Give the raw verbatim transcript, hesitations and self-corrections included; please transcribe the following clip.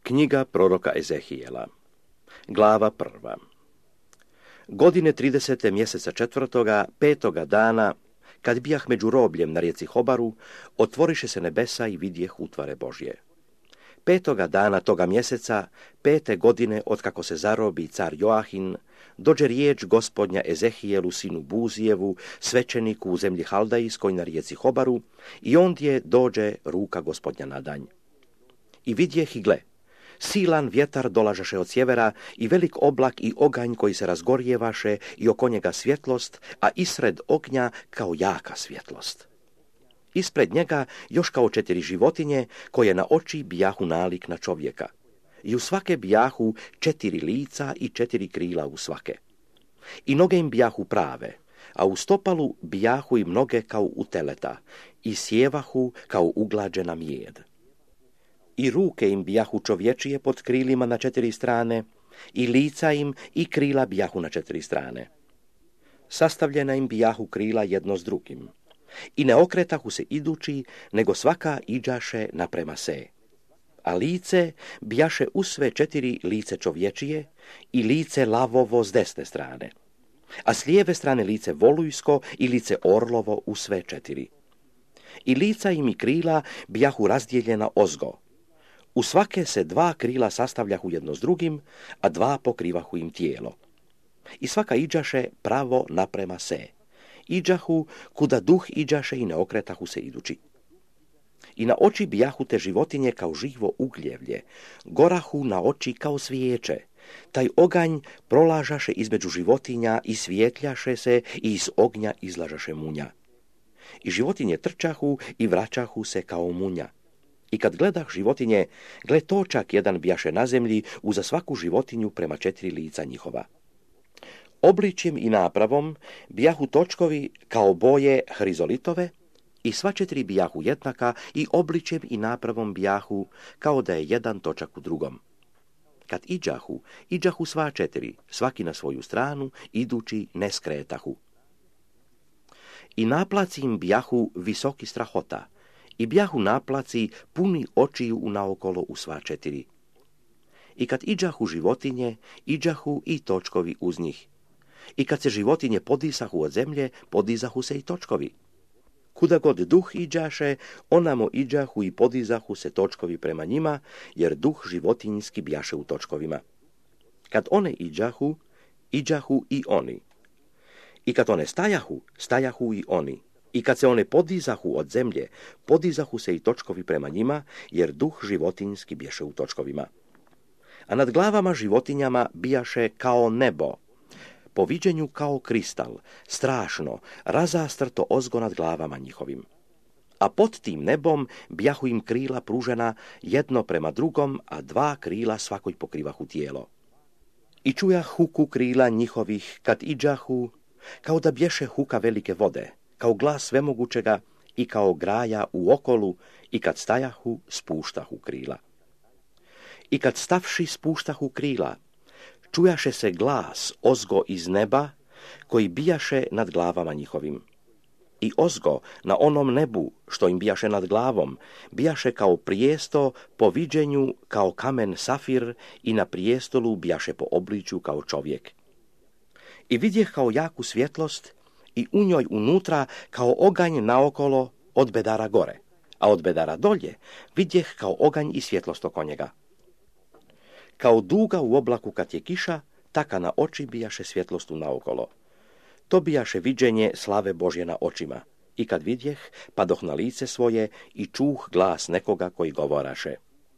Knjiga proroka Ezehijela, glava prva. Godine tridesete mjeseca četvrtoga, petoga dana, kad bijah među robljem na rijeci Hobaru, otvoriše se nebesa i vidjeh utvare Božje. Petoga dana toga mjeseca, pete godine otkako se zarobi car Joahin, dođe riječ gospodnja Ezehijelu sinu Buzijevu, svećeniku u zemlji Haldajskoj na rijeci Hobaru, i ondje dođe ruka gospodnja na danj. I vidjeh i gle, silan vjetar dolažaše od sjevera i velik oblak i oganj koji se razgorjevaše i oko njega svjetlost, a isred ognja kao jaka svjetlost. Ispred njega još kao četiri životinje koje na oči bijahu nalik na čovjeka. I u svake bijahu četiri lica i četiri krila u svake. I noge im bijahu prave, a u stopalu bijahu im noge kao u teleta i sjevahu kao uglađena mijed. I ruke im bijahu čovječije pod krilima na četiri strane, i lica im i krila bijahu na četiri strane. Sastavljena im bijahu krila jedno s drugim. I ne okretahu se idući, nego svaka iđaše naprema se. A lice bijaše u sve četiri lice čovječije i lice lavovo s desne strane. A s lijeve strane lice volujsko i lice orlovo u sve četiri. I lica im i krila bijahu razdijeljena ozgo. U svake se dva krila sastavljahu jedno s drugim, a dva pokrivahu im tijelo. I svaka iđaše pravo naprema se. Iđahu kuda duh iđaše i ne okretahu se idući. I na oči bijahu te životinje kao živo ugljevlje, gorahu na oči kao svijeće. Taj oganj prolažaše između životinja i svijetljaše se i iz ognja izlažaše munja. I životinje trčahu i vraćahu se kao munja. I kad gledah životinje, gle točak jedan bijaše na zemlji uza svaku životinju prema četiri lica njihova. Obličjem i napravom bijahu točkovi kao boje hrizolitove i sva četiri bijahu jednaka i obličjem i napravom bijahu kao da je jedan točak u drugom. Kad iđahu, iđahu sva četiri, svaki na svoju stranu, idući ne skretahu. I naplaci im bijahu visoki strahota, i bijahu naplaci puni očiju naokolo u sva četiri. I kad iđahu životinje, iđahu i točkovi uz njih. I kad se životinje podisahu od zemlje, podizahu se i točkovi. Kuda god duh iđaše, onamo iđahu i podizahu se točkovi prema njima, jer duh životinjski bijaše u točkovima. Kad one iđahu, iđahu i oni. I kad one stajahu, stajahu i oni. I kad se one podizahu od zemlje, podizahu se i točkovi prema njima, jer duh životinjski bijaše u točkovima. A nad glavama životinjama bijaše kao nebo, po viđenju kao kristal, strašno, razastrto ozgo nad glavama njihovim. A pod tim nebom bijahu im krila pružena jedno prema drugom, a dva krila svakoj pokrivahu tijelo. I čujah huku krila njihovih kad iđahu, kao da bješe huka velike vode, kao glas svemogućega i kao graja u okolu, i kad stajahu, spuštahu krila. I kad stavši spuštahu krila, čujaše se glas ozgo iz neba, koji bijaše nad glavama njihovim. I ozgo na onom nebu, što im bijaše nad glavom, bijaše kao prijesto po viđenju kao kamen safir i na prijestolu bijaše po obličju kao čovjek. I vidjeh kao jaku svjetlost i u njoj unutra kao oganj naokolo od bedara gore, a od bedara dolje vidjeh kao oganj i svjetlost oko njega. Kao duga u oblaku kad je kiša, taka na oči bijaše svjetlostu naokolo. To bijaše viđenje slave Božje na očima. I kad vidjeh, padoh na lice svoje i čuh glas nekoga koji govoraše.